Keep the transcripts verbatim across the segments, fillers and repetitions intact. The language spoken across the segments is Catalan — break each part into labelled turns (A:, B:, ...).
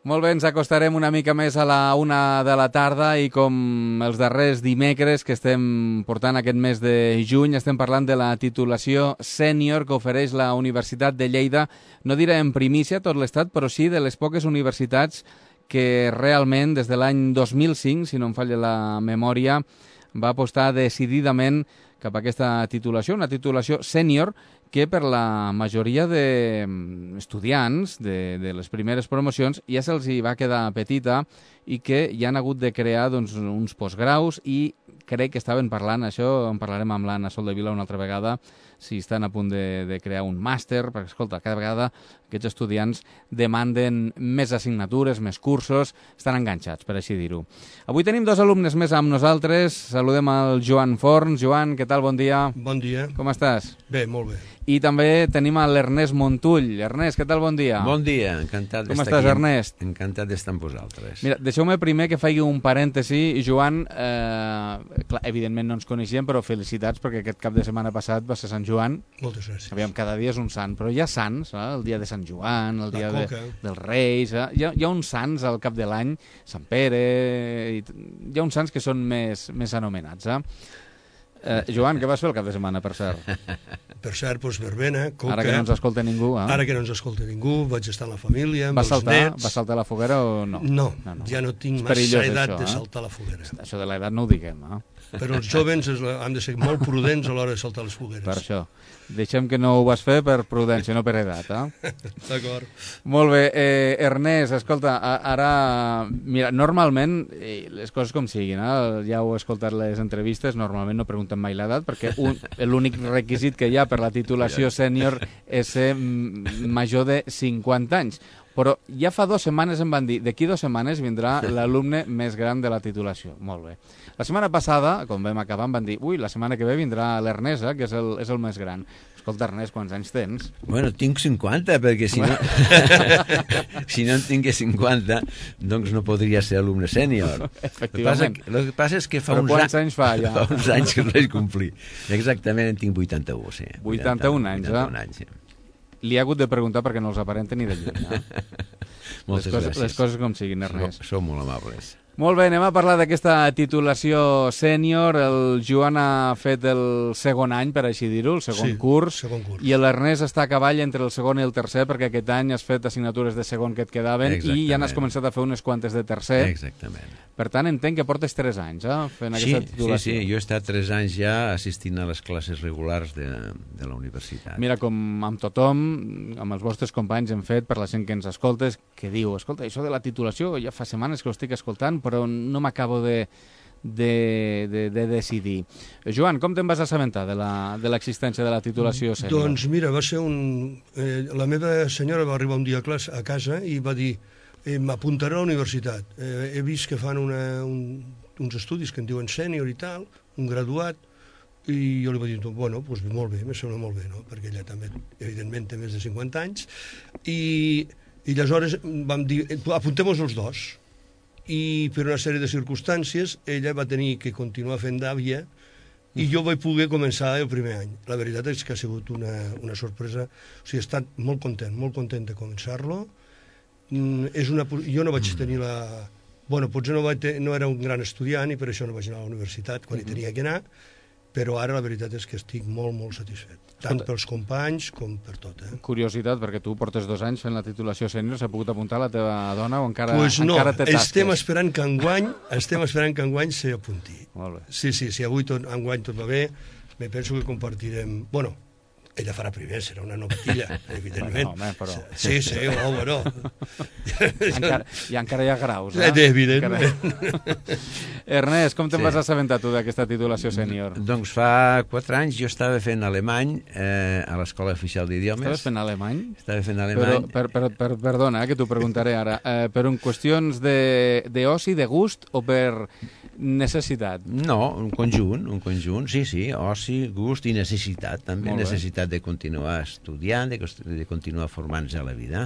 A: Molt bé, ens acostarem una mica més a la una de la tarda i com els darrers dimecres que estem portant aquest mes de juny estem parlant de la titulació sènior que ofereix la Universitat de Lleida, no diré en primícia tot l'estat, però sí de les poques universitats que realment des de l'any dos mil cinc, si no em falla la memòria, va apostar decididament cap a aquesta titulació, una titulació sènior que per la majoria d'estudiants de, de les primeres promocions ja se'ls hi va quedar petita i que ja han hagut de crear doncs, uns postgraus i crec que estaven parlant, això en parlarem amb l'Anna Soldevila una altra vegada, si estan a punt de, de crear un màster, perquè escolta, cada vegada aquests estudiants demanden més assignatures, més cursos, estan enganxats, per així dir-ho. Avui tenim dos alumnes més amb nosaltres, saludem al Joan Forns. Joan, què tal? Bon dia.
B: Bon dia.
A: Com estàs?
B: Bé, molt bé.
A: I també tenim a l'Ernest Montull. Ernest, què tal? Bon dia.
C: Bon dia, encantat
A: Com
C: d'estar
A: estàs,
C: aquí.
A: Ernest?
C: Encantat d'estar amb vosaltres.
A: Mira, deixeu-me primer que faci un parèntesi. Joan, eh, clar, evidentment no ens coneixíem, però felicitats perquè aquest cap de setmana passat va ser Sant Joan.
B: Moltes gràcies.
A: Aviam, cada dia és un sant, però hi ha sants, eh? El dia de Sant Joan, el
B: La
A: dia de,
B: coca.
A: dels Reis, eh? hi, ha, hi ha uns sants al cap de l'any, Sant Pere, i, hi ha uns sants que són més, més anomenats. Eh? Eh, Joan, què vas fer el cap de setmana, per cert?
B: Per cert, doncs, verbena, coca...
A: Ara que no ens escolta ningú, eh?
B: Ara que no ens escolta ningú, vaig estar amb la família, amb
A: Vas
B: els
A: saltar,
B: nets...
A: vas saltar a la foguera o no?
B: No,
A: no, no.
B: ja no tinc
A: És
B: massa
A: perillós,
B: edat
A: això,
B: de
A: eh?
B: saltar a la foguera.
A: Això de l'edat no ho diguem, eh?
B: Però els jovens és la- han de ser molt prudents a l'hora de saltar les fogueres.
A: Per això. Deixem que no ho vas fer per prudència, no per edat, eh?
B: D'acord.
A: Molt bé. Eh, Ernest, escolta, a- ara... Mira, normalment, eh, les coses com siguin, eh? Ja heu escoltat les entrevistes, normalment no preguntem mai l'edat, perquè un- l'únic requisit que hi ha per la titulació sènior és ser mm, major de cinquanta anys. Però ja fa dues setmanes em van dir, d'aquí dues setmanes vindrà l'alumne més gran de la titulació. Molt bé. La setmana passada, quan vam acabar, em van dir, ui, la setmana que ve vindrà l'Ernest, eh, que és el, és el més gran. Escolta, Ernest, quants anys tens?
C: Bueno, tinc cinquanta, perquè si no, si no en tingués cinquanta, doncs no podria ser alumne sènior. El que passa,
A: Efectivament.
C: el que passa és que fa
A: Però
C: uns,
A: quants anys fa, ja?
C: fa uns anys que el vaig complir. Exactament, en tinc vuitanta-u, sí.
A: vuitanta-un anys, eh?
C: vuitanta-un anys, sí.
A: Li ha hagut de preguntar perquè no els aparenta ni de lluny. Eh?
C: Moltes
A: les, coses,
C: gràcies.
A: les coses com siguin, Ernest.
C: Sou, sou molt amables.
A: Molt bé, anem a parlar d'aquesta titulació sènior. El Joan ha fet el segon any, per així dir-ho, el segon
B: Sí,
A: curs,
B: segon curs.
A: i l'Ernest està a cavall entre el segon i el tercer, perquè aquest any has fet assignatures de segon que et quedaven i ja n'has
C: Exactament.
A: començat a fer unes quantes de tercer.
C: Exactament.
A: Per tant, entenc que portes tres anys eh, fent
C: Sí,
A: aquesta
C: sí,
A: titulació.
C: sí, jo he estat tres anys ja assistint a les classes regulars de, de la universitat.
A: Mira, com amb tothom, amb els vostres companys hem fet, per la gent que ens escoltes, que diu, escolta, això de la titulació ja fa setmanes que ho estic escoltant, però no m'acabo de, de, de, de decidir. Joan, com te'n vas assabentar de la- de l'existència de la titulació sènior?
B: Doncs mira, va ser un... Eh, la meva senyora va arribar un dia a, classe, a casa i va dir eh, m'apuntaré a la universitat. Eh, he vist que fan una, un, uns estudis que en diuen sènior i tal, un graduat, i jo li vaig dir, bueno, doncs molt bé, me sembla molt bé, no? Perquè ella també, evidentment, té més de cinquanta anys, i, i aleshores vam dir, apuntem-nos els dos, i per una sèrie de circumstàncies ella va tenir que continuar fent d'àvia i jo vaig poder començar el primer any. La veritat és que ha sigut una, una sorpresa. O sigui, he estat molt content, molt content de començar-lo. Mm, és una, po- jo no vaig tenir la... Bueno, potser no, vaig te, no era un gran estudiant i per això no vaig anar a la universitat quan hi tenia que anar, però ara la veritat és que estic molt, molt satisfet. Tant
A: Escolta.
B: pels companys com per tot, eh?
A: Curiositat, perquè tu portes dos anys fent la titulació sènior, s'ha pogut apuntar la teva dona o encara,
B: Pues no,
A: encara té tasques?
B: estem esperant que enguany, estem esperant que enguany s'apunti.
A: Molt bé.
B: Sí, sí, si avui tot, enguany tot va bé, me penso que compartirem... Bueno, ella farà primer, serà una novatilla, evidentment.
A: Bueno, home, però-
B: Sí, sí, oh, bueno.
A: Encara, I encara hi ha graus, eh?
B: Eh, evidentment.
A: Encara... Ernest, com te'n
C: Sí.
A: vas assabentar tu d'aquesta titulació sènior?
C: Doncs fa quatre anys jo estava fent alemany eh, a l'Escola Oficial d'Idiomes.
A: Estaves fent alemany?
C: Estava fent
A: Però,
C: alemany.
A: per, per, per, perdona, eh, que t'ho preguntaré ara. Eh, per un qüestions de, de oci, de gust o per necessitat?
C: No, un conjunt, un conjunt, sí, sí, oci, gust i necessitat, també
A: Molt bé.
C: necessitat de continuar estudiant, de, cos- de continuar formant-se a la vida.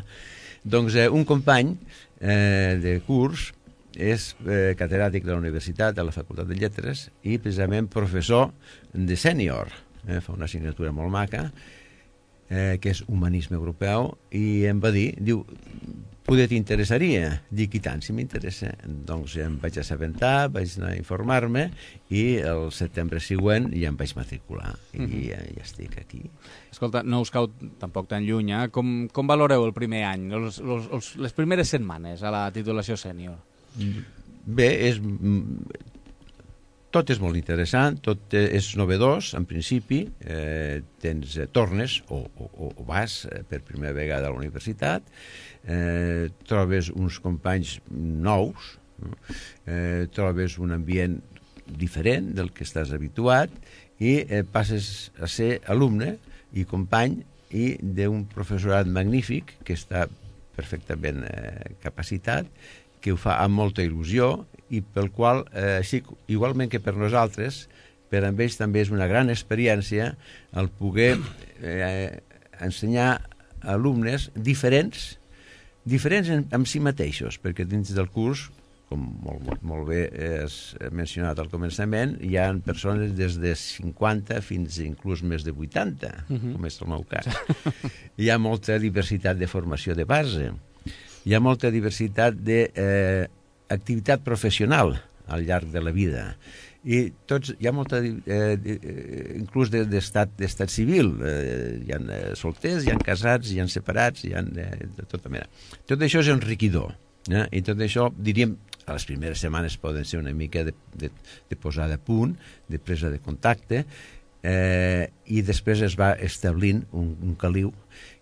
C: Doncs eh, un company eh, de curs és eh, catedràtic de la universitat, de la Facultat de Lletres, i precisament professor de sènior. Eh, fa una assignatura molt maca, eh, que és humanisme europeu, i em va dir, diu, poder t'interessaria? Dic, i tant, si m'interessa. Doncs em vaig assabentar, vaig anar a informar-me, i el setembre següent ja em vaig matricular, i uh -huh. ja, ja estic aquí.
A: Escolta, no us cau tampoc tan lluny, eh? Com, com valoreu el primer any, els, els, els, les primeres setmanes a la titulació sènior?
C: Bé, és... tot és molt interessant, tot és novedós, en principi, eh, tens, eh, tornes o, o, o vas eh, per primera vegada a la universitat, eh, trobes uns companys nous, eh, trobes un ambient diferent del que estàs habituat i eh, passes a ser alumne i company i d'un professorat magnífic que està perfectament eh, capacitat, que ho fa amb molta il·lusió i pel qual, eh, així, igualment que per nosaltres, per a ells també és una gran experiència el poder eh, ensenyar alumnes diferents, diferents en, en si mateixos, perquè dins del curs, com molt, molt, molt bé és mencionat al començament, hi ha persones des de cinquanta fins inclús més de vuitanta, uh-huh. com és el meu cas. Hi ha molta diversitat de formació de base, hi ha molta diversitat d'activitat eh, professional al llarg de la vida, i tots, hi ha molta eh, inclús d'estat de, d'estat civil, eh, hi ha eh, solters, hi ha casats, hi ha separats, hi ha eh, de tota mena. Tot això és enriquidor, eh? I tot això, diríem, a les primeres setmanes poden ser una mica de, de, de posada a punt, de presa de contacte, eh, i després es va establint un, un caliu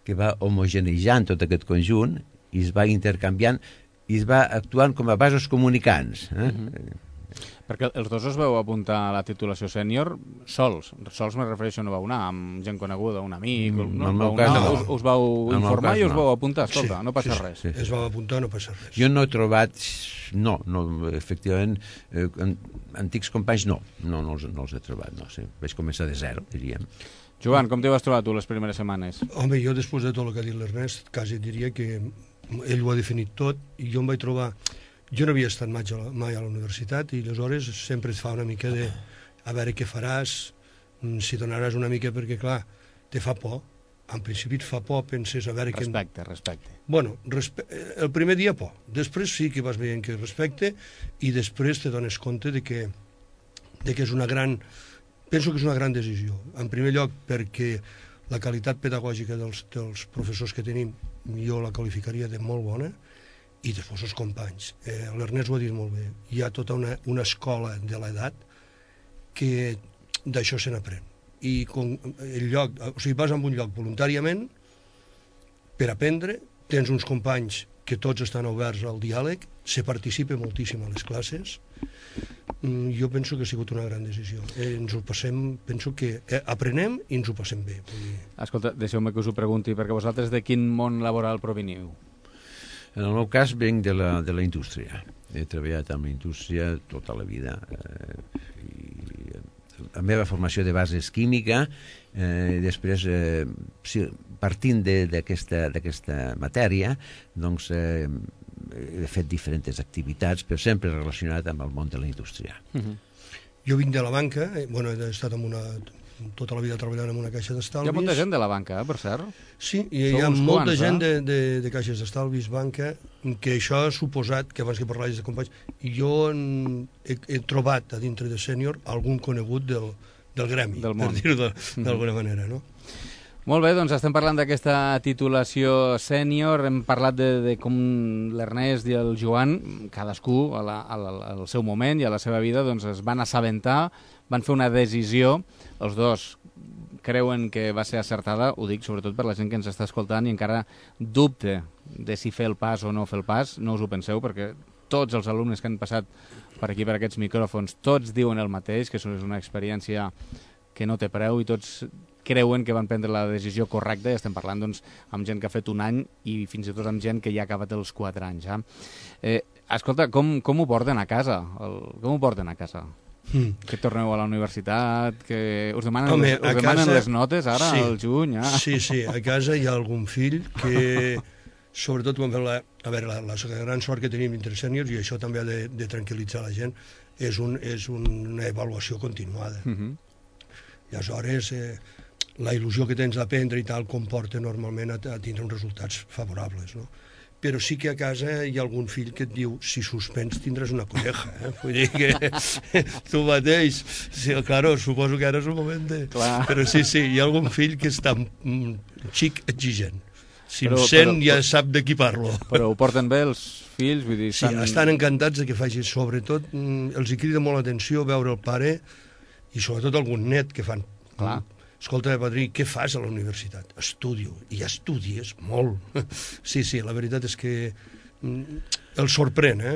C: que va homogeneïtzant tot aquest conjunt i es va intercanviant i es va actuant com a vasos comunicants. Eh? Uh-huh.
A: Perquè els dos us veu apuntar a la titulació sènior sols. Sols me refereixo, no vau anar amb gent coneguda, un amic... Mm, no, vau anar, no. us, us vau informar i us vau apuntar. Escolta, sí, no passa
B: sí,
A: res.
B: Sí, sí. Es vau apuntar, no passa res.
C: Jo no he trobat... No, no efectivament, eh, antics companys no. No, no els, no els he trobat, no. Sí. Vaig començar de zero, diríem.
A: Joan, com t'hi vas trobar tu les primeres setmanes?
B: Home, jo després de tot el que ha dit l'Ernest, quasi diria que ell ho ha definit tot i jo em vaig trobar... Jo no havia estat mai a la, mai a la universitat i aleshores sempre et fa una mica de a veure què faràs, si donaràs una mica, perquè clar, te fa por. En principi et fa por, penses a veure...
A: Respecte,
B: que...
A: respecte.
B: Bueno, respe... el primer dia por, després sí que vas veient que respecte i després te dones compte de que, de que és una gran... Penso que és una gran decisió. En primer lloc perquè la qualitat pedagògica dels, dels professors que tenim jo la qualificaria de molt bona, i després els companys. Eh, L'Ernest ho ha dit molt bé. Hi ha tota una, una escola de l'edat que d'això se n'aprèn. I com el lloc, o sigui, vas a un lloc voluntàriament per aprendre, tens uns companys que tots estan oberts al diàleg, se participa moltíssim a les classes. Mm, jo penso que ha sigut una gran decisió. Eh, ens ho passem, penso que eh, aprenem i ens ho passem bé. Vull dir...
A: Escolta, deixeu-me que us ho pregunti, perquè vosaltres de quin món laboral proveniu?
C: En el meu cas venc de la, de la indústria. He treballat amb la indústria tota la vida. Eh, i la meva formació de base és química, eh, després, eh, si, partint d'aquesta matèria, doncs eh, he fet diferents activitats, però sempre relacionat amb el món de la indústria.
B: Uh-huh. Jo vinc de la banca, eh, bueno, he estat en una... tota la vida treballant en una caixa d'estalvis.
A: Hi ha molta gent de la banca, eh, per cert.
B: Sí, i hi ha molta quants, gent eh? de, de, de caixes d'estalvis, banca, que això ha suposat, que abans que parlais de companys, jo he, he trobat a dintre de sènior algun conegut del, del gremi,
A: del món.
B: Per dir-ho d'alguna manera, no?
A: Molt bé, doncs estem parlant d'aquesta titulació sènior, hem parlat de, de com l'Ernest i el Joan, cadascú a la, a la, al seu moment i a la seva vida, doncs es van assabentar, van fer una decisió, els dos creuen que va ser acertada, ho dic sobretot per la gent que ens està escoltant i encara dubte de si fer el pas o no fer el pas, no us ho penseu, perquè tots els alumnes que han passat per aquí, per aquests micròfons, tots diuen el mateix, que és una experiència que no té preu i tots creuen que van prendre la decisió correcta, i estem parlant doncs, amb gent que ha fet un any i fins i tot amb gent que ja ha acabat els quatre anys. Eh? Eh, escolta, com, com ho porten a casa? El, com ho porten a casa? Mm. Que torneu a la universitat, que us demanen, Home, us demanen casa, les notes ara, sí, al juny? Ah.
B: Sí, sí, a casa hi ha algun fill que, sobretot quan fem la, a veure, la, la gran sort que tenim entre sèniors, i això també ha de, de tranquil·litzar la gent, és, un, és un, una avaluació continuada. Mm-hmm. I aleshores, eh, la il·lusió que tens d'aprendre i tal comporta normalment a, a tindre uns resultats favorables, no? Però sí que a casa hi ha algun fill que et diu si suspens tindràs una colleja, eh? Vull dir que tu mateix, sí, claro, suposo que ara és un moment de...
A: Clar.
B: Però sí, sí, hi ha algun fill que està mm, xic exigent. Si
A: Però-
B: em sent
A: però-
B: ja sap de qui parlo.
A: Però ho porten bé els fills? Vull dir,
B: Sí, estan encantats de que faci, sobretot, mm, els hi crida molt l'atenció veure el pare i sobretot algun net que fan.
A: Clar.
B: Escolta, padrí, què fas a la universitat? Estudio. I ja estudies molt. Sí, sí, la veritat és que mm, el sorprèn, eh?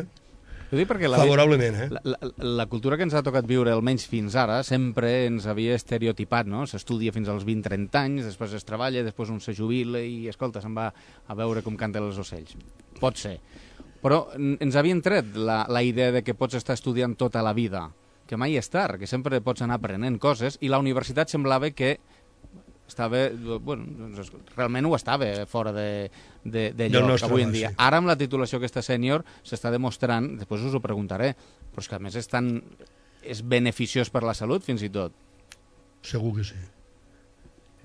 A: Ho dic perquè la,
B: Favorablement, eh?
A: la, la, la cultura que ens ha tocat viure, almenys fins ara, sempre ens havia estereotipat, no? S'estudia fins als vint trenta anys, després es treballa, després un se jubila i, escolta, se'n va a veure com canten els ocells. Pot ser. Però n- ens havien tret la, la idea de que pots estar estudiant tota la vida, que mai és tard, que sempre pots anar aprenent coses, i la universitat semblava que estava, bueno, doncs, realment ho estava fora de, de, de
B: Del
A: lloc
B: nostre
A: avui en
B: abast,
A: dia.
B: sí.
A: Ara amb la titulació aquesta sènior s'està demostrant, després us ho preguntaré, però és que a més és tan és beneficiós per la salut fins i tot.
B: Segur que sí.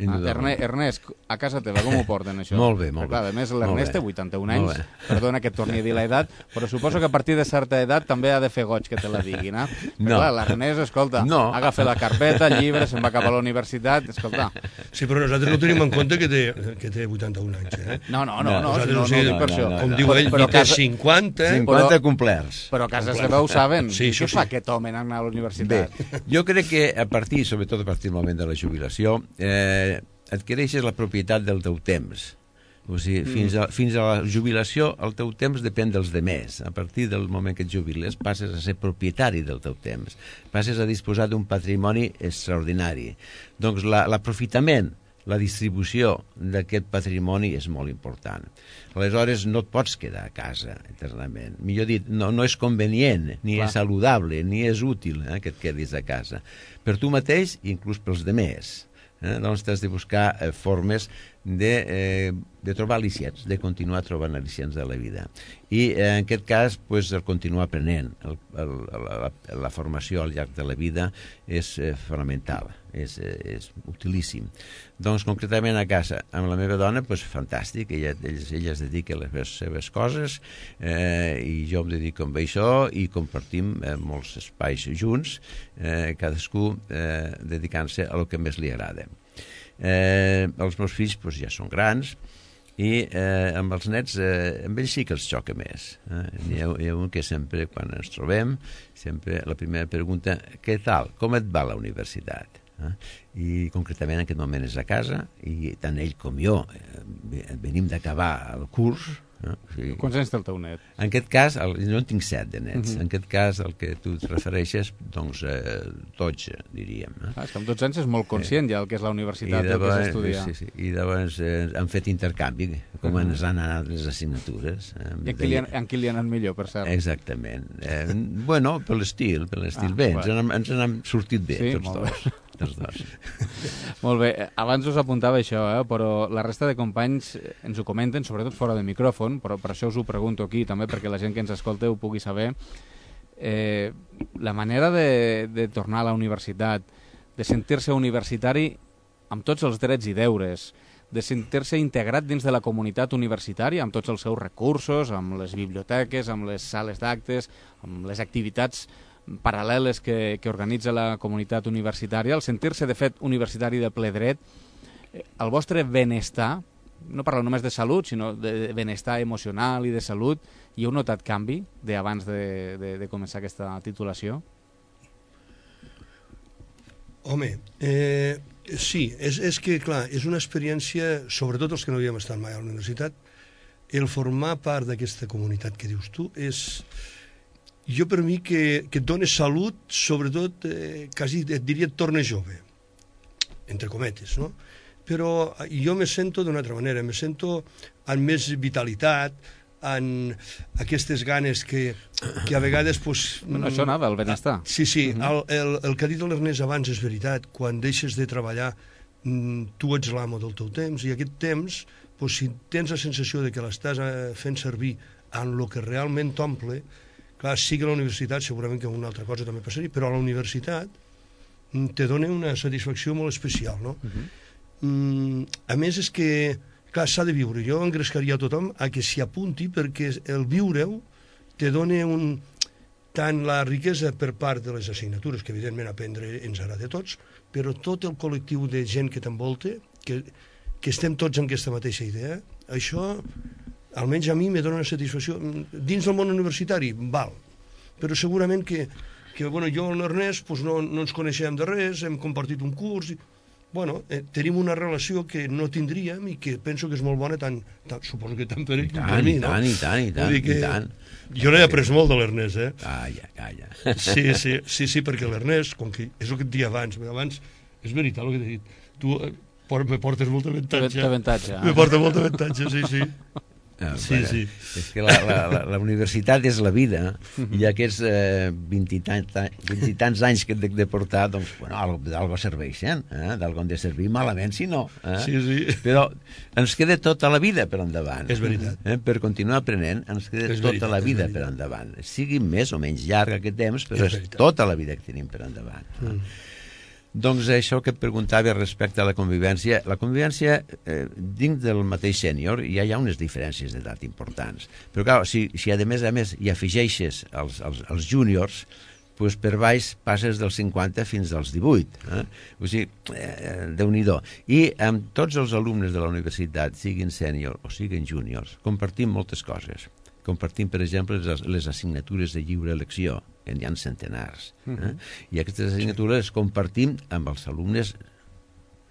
A: Ah, Erne, Ernest, a casa teva com ho porten això?
C: Molt bé, molt
A: Perquè, clar,
C: bé.
A: a més,
C: Molt
A: l'Ernest
C: bé.
A: té vuitanta-un
C: Molt
A: anys,
C: bé.
A: perdona que et torni a dir l'edat, però suposo que a partir de certa edat també ha de fer goig que te la diguin, eh? Perquè,
C: No.
A: clar, l'Ernest, escolta,
C: No.
A: agafa la carpeta, el llibre, se'n va cap a la universitat, escolta.
B: Sí, però nosaltres no tenim en compte que té, que té vuitanta-un anys, eh?
A: No, no, no, no,
C: No,
A: si
B: nosaltres
A: no,
B: ho
A: no,
B: sé,
A: ho dic per
C: no,
A: això.
C: no,
B: Com
C: no.
B: diu
A: Però-
B: ell,
A: però
B: ni té
A: casa-
B: cinquanta, eh?
C: cinquanta
A: però-
C: complerts.
A: Però a casa seva ho saben.
B: Sí,
A: Què
B: això
A: fa
B: sí.
A: aquest home en anar a la
C: Bé,
A: universitat?
C: jo crec que a partir, sobretot a partir del moment de la jubilació, eh, adquireixes la propietat del teu temps. O sigui, mm. fins, a, fins a la jubilació el teu temps depèn dels demés. A partir del moment que et jubiles passes a ser propietari del teu temps. Passes a disposar d'un patrimoni extraordinari. Doncs la- l'aprofitament, la distribució d'aquest patrimoni és molt important. Aleshores no et pots quedar a casa eternament. Millor dit, no, no és convenient, ni
A: Clar.
C: és saludable, ni és útil eh, que et quedis a casa. Per tu mateix i inclús pels demés. Eh? Doncs t'has de buscar eh, formes de, eh, de trobar al·licients, de continuar trobant al·licients de la vida. I eh, en aquest cas, pues, el continuar aprenent. El, el, la, la formació al llarg de la vida és eh, fonamental, és, eh, és utilíssim. Doncs concretament a casa, amb la meva dona, pues, fantàstic, ella, ella, ella es dedica a les seves coses eh, i jo em dedico amb això i compartim eh, molts espais junts, eh, cadascú eh, dedicant-se a lo que més li agrada. Eh, els meus fills pues, ja són grans i eh, amb els nets, eh, amb ells sí que els xoca més. Eh? Hi, ha, hi ha un que sempre, quan ens trobem, sempre la primera pregunta, què tal? Com et va la universitat? Eh? I concretament en aquest moment és a casa i tant ell com jo eh, venim d'acabar el curs. Eh? O sigui,
A: Quants anys té el teu net?
C: en aquest cas, el, jo en tinc set de nets.
A: Mhm.
C: En aquest cas, el que tu et refereixes, doncs, eh, dotze, diríem. Eh?
A: Ah, és que amb dotze anys és molt conscient ja el que és la universitat, el que és estudiar.
C: sí, sí, i llavors eh, han fet intercanvi, com
A: Mhm.
C: ens han anat les assignatures. Eh,
A: I en qui, li han, en qui li ha anat millor, per cert?
C: Exactament. Eh, bueno, per l'estil, per l'estil.
A: Ah,
C: bé,
A: bueno.
C: ens, han, ens han sortit bé,
A: Sí,
C: tots
A: molt
C: dos. Tots dos.
A: Molt bé, abans us apuntava això, eh? Però la resta de companys ens ho comenten, sobretot fora de micròfon, però per això us ho pregunto aquí també, perquè la gent que ens escolta ho pugui saber. Eh, la manera de, de tornar a la universitat, de sentir-se universitari amb tots els drets i deures, de sentir-se integrat dins de la comunitat universitària, amb tots els seus recursos, amb les biblioteques, amb les sales d'actes, amb les activitats paral·leles que, que organitza la comunitat universitària, el sentir-se, de fet, universitari de ple dret, eh, el vostre benestar, no parlo només de salut, sinó de benestar emocional i de salut, hi heu notat canvi d'abans de, de, de començar aquesta titulació?
B: Home, eh, sí, és, és que, clar, és una experiència, sobretot els que no havíem estat mai a la universitat, el formar part d'aquesta comunitat que dius tu és... Jo per mi que, que et dona salut, sobretot, eh, quasi et diria et torna jove, entre cometes, no? Però jo me sento d'una altra manera, me sento amb més vitalitat, en aquestes ganes que, que a vegades... Pues,
A: Bueno, això anava, el benestar.
B: Sí, sí,
A: Mhm.
B: el, el, el que ha dit l'Ernest abans és veritat. Quan deixes de treballar, mm, tu ets l'amo del teu temps, i aquest temps, pues, si tens la sensació de que l'estàs eh, fent servir en el que realment t'omple, clar, sí que a la universitat segurament que una altra cosa també passaria, però a la universitat mm, te dona una satisfacció molt especial, no?
A: Uh -huh.
B: mm, a més és que, clar, s'ha de viure. Jo engrescaria a tothom a que s'hi apunti, perquè el viure-ho te dona un, tant la riquesa per part de les assignatures, que evidentment aprendre ens agrada a tots, però tot el col·lectiu de gent que t'envolta, que, que estem tots en aquesta mateixa idea, això, almenys a mi, me dona una satisfacció. Dins del món universitari, val, però segurament que, que bueno, jo i l'Ernest pues, no, no ens coneixem de res, hem compartit un curs, i, bueno, eh, tenim una relació que no tindríem i que penso que és molt bona, tant, tant suposo que tant per ell com per mi, no?
C: I tant, i tant, i tant, i tant.
B: Jo n'he après molt de l'Ernest, eh?
C: Calla, calla.
B: Sí, sí, sí, sí, perquè l'Ernest, com que és el que et dia abans, abans, és veritat el que t'he dit, tu eh, me portes molt d'avantatge.
A: D'avantatge.
B: Me porta molt d'avantatge, sí, sí.
C: No,
B: sí,
C: bueno,
B: sí.
C: És que la, la, la, la universitat és la vida, i aquests eh, vint i tants anys que hem de, de portar, doncs, bueno, d'algo serveixen, eh? D'algo han de servir, malament si no. Eh?
B: Sí, sí.
C: Però ens queda tota la vida per endavant.
B: És veritat.
C: Eh? Per continuar aprenent, ens queda
B: és
C: tota
B: veritat,
C: la vida per endavant. Sigui més o menys llarg aquest temps, però és, és tota la vida que tenim per endavant. Mm. Eh? Doncs això que et preguntava respecte a la convivència. La convivència, eh, dins del mateix sènior, ja hi ha unes diferències d'edat importants. Però, clar, si, si a més a més hi afegeixes els, els, els júniors, pues per baix passes dels cinquanta fins als divuit. Eh? O sigui, eh, Déu-n'hi-do. I amb tots els alumnes de la universitat, siguin sènior o siguin júniors, compartim moltes coses. Compartim, per exemple, les, les assignatures de lliure elecció, que n'hi ha centenars. Eh? Uh-huh. I aquestes assignatures les compartim amb els alumnes,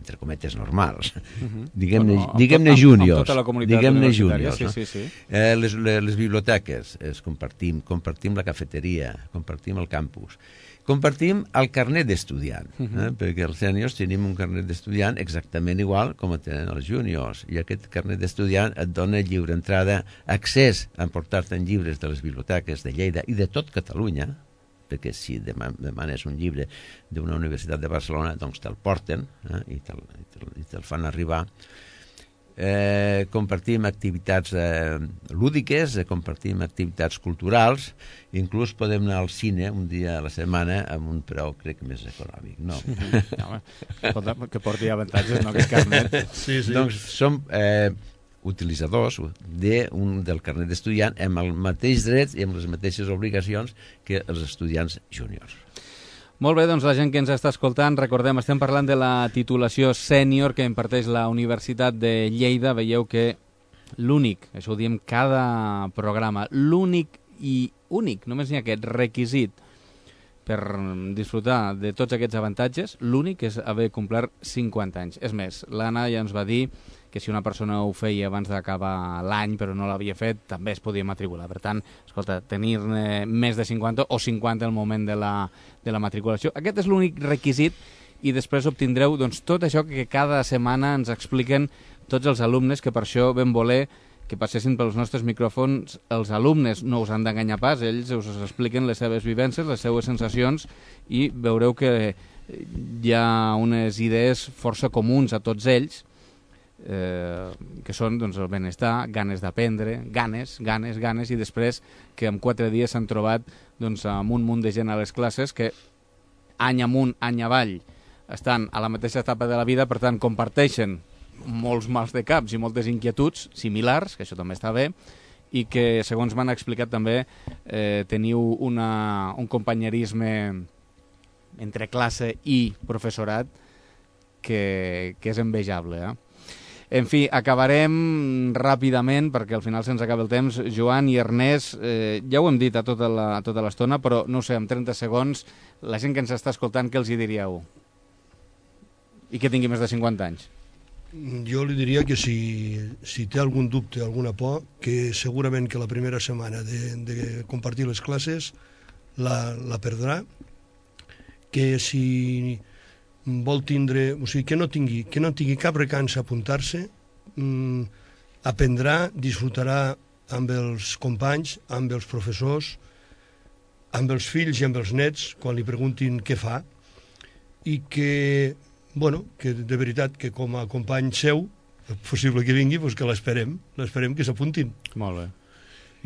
C: entre cometes, normals. Uh-huh. Diguem-ne bueno, diguem júniors. Amb tota la comunitat diguem-ne júniors.
A: Sí,
C: no?
A: sí, sí.
C: Eh, les, les, les biblioteques es compartim, compartim la cafeteria, compartim el campus. Compartim el carnet d'estudiant, eh? Uh-huh. Perquè els sèniors tenim un carnet d'estudiant exactament igual com el tenen els júniors, i aquest carnet d'estudiant et dona lliure entrada, accés a emportar-te'n llibres de les biblioteques de Lleida i de tot Catalunya, perquè si demanes un llibre d'una universitat de Barcelona, doncs te'l porten, eh? I te'l te te fan arribar. Eh, compartim activitats eh, lúdiques, eh, compartim activitats culturals, inclús podem anar al cine un dia a la setmana amb un preu, crec, més econòmic. No.
A: no que porti avantatges, no aquest carnet.
B: Sí, sí.
C: Doncs som eh, utilitzadors de un, del carnet d'estudiant amb el mateix dret i amb les mateixes obligacions que els estudiants júniors.
A: Molt bé, doncs la gent que ens està escoltant, recordem, estem parlant de la titulació sènior que imparteix la Universitat de Lleida. Veieu que l'únic, això ho diem cada programa, l'únic i únic, només n'hi ha aquest requisit per disfrutar de tots aquests avantatges, l'únic és haver complert cinquanta anys. És més, l'Anna ja ens va dir que si una persona ho feia abans d'acabar l'any però no l'havia fet, també es podia matricular. Per tant, escolta, tenir-ne més de cinquanta o cinquanta al moment de la, de la matriculació. Aquest és l'únic requisit i després obtindreu doncs, tot això que cada setmana ens expliquen tots els alumnes, que per això vam voler que passessin pels nostres micròfons. Els alumnes no us han d'enganyar pas, ells us expliquen les seves vivències, les seues sensacions, i veureu que hi ha unes idees força comuns a tots ells, Eh, que són doncs, el benestar, ganes d'aprendre, ganes, ganes, ganes, i després que en quatre dies s'han trobat doncs, amb un munt de gent a les classes que any amunt, any avall estan a la mateixa etapa de la vida, per tant comparteixen molts mals de caps i moltes inquietuds similars, que això també està bé, i que segons m'han explicat també eh, teniu una, un companyerisme entre classe i professorat que, que és envejable, eh? En fi, acabarem ràpidament, perquè al final se'ns acaba el temps. Joan i Ernest, eh, ja ho hem dit a tota la, a tota l'estona, però no sé, en trenta segons, la gent que ens està escoltant, què els hi diríeu? I que tingui més de cinquanta anys.
B: Jo li diria que si, si té algun dubte, alguna por, que segurament que la primera setmana de, de compartir les classes la, la perdrà, que si vol tindre, o sigui, que no tingui, que no tingui cap recança a apuntar-se, mmm, aprendrà, disfrutarà amb els companys, amb els professors, amb els fills i amb els nets, quan li preguntin què fa, i que, bueno, que de veritat que com a company seu, és possible que vingui, doncs que l'esperem, l'esperem que s'apuntin.
A: Molt bé.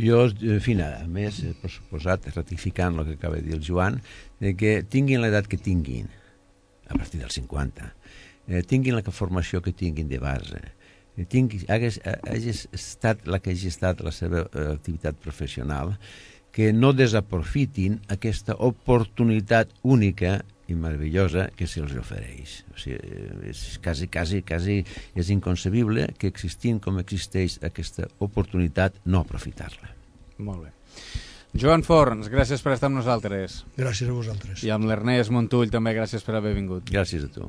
C: Jo, en fi, nada, a més, per suposat, ratificant el que acaba de dir el Joan, de que tinguin l'edat que tinguin, a partir dels cinquanta, eh, tinguin la formació que tinguin de base, eh, tinguin, hagués, hagués estat la que hagi estat la seva eh, activitat professional, que no desaprofitin aquesta oportunitat única i meravellosa que se'ls ofereix. O sigui, és quasi, quasi, quasi és inconcebible que existint com existeix aquesta oportunitat no aprofitar-la.
A: Molt bé. Joan Forns, gràcies per estar amb nosaltres.
B: Gràcies a vosaltres.
A: I amb l'Ernest Montull també gràcies per haver vingut.
C: Gràcies a tu.